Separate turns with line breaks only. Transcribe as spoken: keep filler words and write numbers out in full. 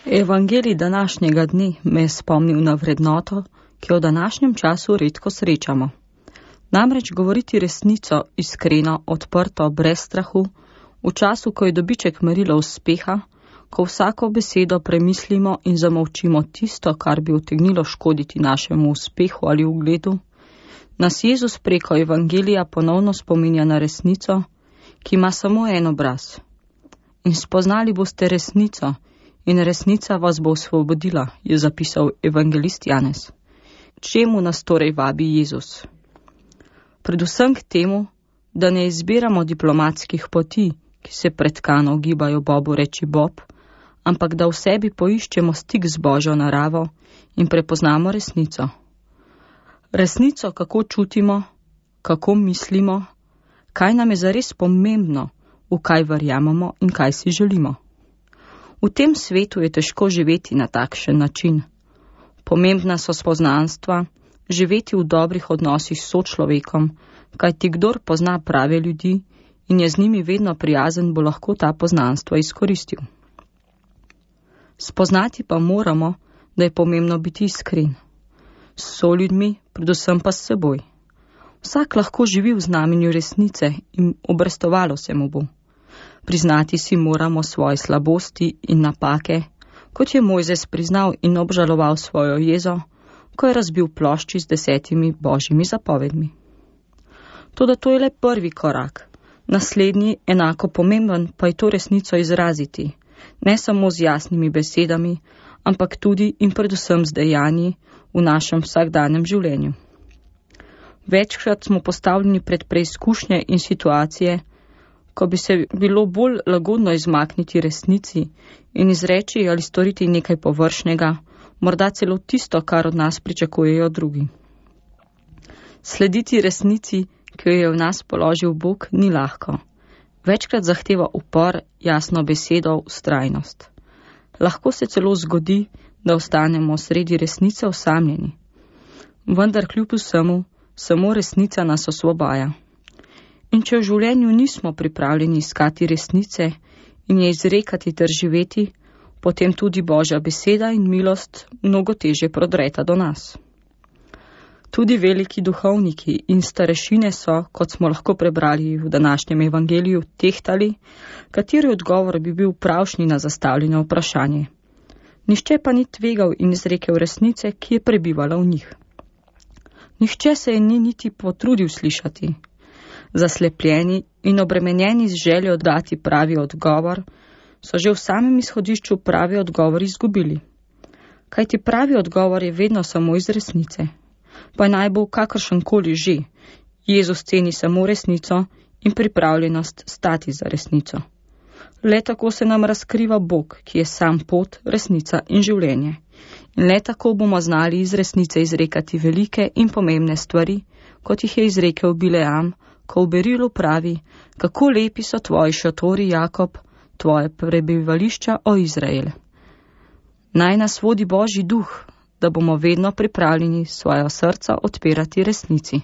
Evangelij današnjega dne me je spomnil na vrednoto, ki jo v današnjem času redko srečamo. Namreč govoriti resnico, iskreno, odprto, brez strahu, v času, ko je dobiček merilo uspeha, ko vsako besedo premislimo in zamolčimo tisto, kar bi utegnilo škoditi našemu uspehu ali ugledu, nas Jezus preko Evangelija ponovno spominja na resnico, ki ima samo en obraz. In spoznali boste resnico, in resnica vas bo osvobodila, je zapisal evangelist Janez. Čemu nas torej vabi Jezus? Predvsem k temu, da ne izbiramo diplomatskih poti, ki se pretkano gibajo Bobu reči Bob, ampak da v sebi poiščemo stik z Božjo naravo in prepoznamo resnico. Resnico, kako čutimo, kako mislimo, kaj nam je zares pomembno, v kaj verjamemo in kaj si želimo. V tem svetu je težko živeti na takšen način. Pomembna so spoznanstva, živeti v dobrih odnosih s sočlovekom, kajti kdor pozna prave ljudi in je z njimi vedno prijazen, bo lahko ta poznanstva izkoristil. Spoznati pa moramo, da je pomembno biti iskren. S soljudmi, predvsem pa s seboj. Vsak lahko živi v znamenju resnice in obrestovalo se mu bo. Priznati si moramo svoje slabosti in napake, kot je Mojzes priznal in obžaloval svojo jezo, ko je razbil plošči z desetimi božjimi zapovedmi. Toda to je le prvi korak. Naslednji, enako pomemben, pa je to resnico izraziti, ne samo z jasnimi besedami, ampak tudi in predvsem z dejanji v našem vsakdanjem življenju. Večkrat smo postavljeni pred preizkušnje in situacije, ko bi se bilo bolj lagodno izmakniti resnici in izreči ali storiti nekaj površnega, morda celo tisto, kar od nas pričakujejo drugi. Slediti resnici, ki jo je v nas položil Bog, ni lahko. Večkrat zahteva upor, jasno besedo, vztrajnost. Lahko se celo zgodi, da ostanemo sredi resnice osamljeni. Vendar kljub vsemu, samo resnica nas osvobaja. In če v življenju nismo pripravljeni iskati resnice in je izrekati ter živeti, potem tudi Božja beseda in milost mnogo težje prodreta do nas. Tudi veliki duhovniki in starešine so, kot smo lahko prebrali v današnjem evangeliju, tehtali, kateri odgovor bi bil pravšnji na zastavljeno vprašanje. Nihče pa ni tvegal in izrekel resnice, ki je prebivala v njih. Nihče se je ni niti potrudil slišati. Zaslepljeni in obremenjeni z željo dati pravi odgovor, so že v samem izhodišču pravi odgovor izgubili. Kajti pravi odgovor je vedno samo iz resnice. Pa naj bo kakršenkoli že, Jezus ceni samo resnico in pripravljenost stati za resnico. Le tako se nam razkriva Bog, ki je sam pot, resnica in življenje. In le tako bomo znali iz resnice izrekati velike in pomembne stvari, kot jih je izrekel Bileam, ko v berilu pravi, kako lepi so tvoji šotori, Jakob, tvoje prebivališča, o Izrael. Naj nas vodi Božji duh, da bomo vedno pripravljeni svoja srca odpirati resnici.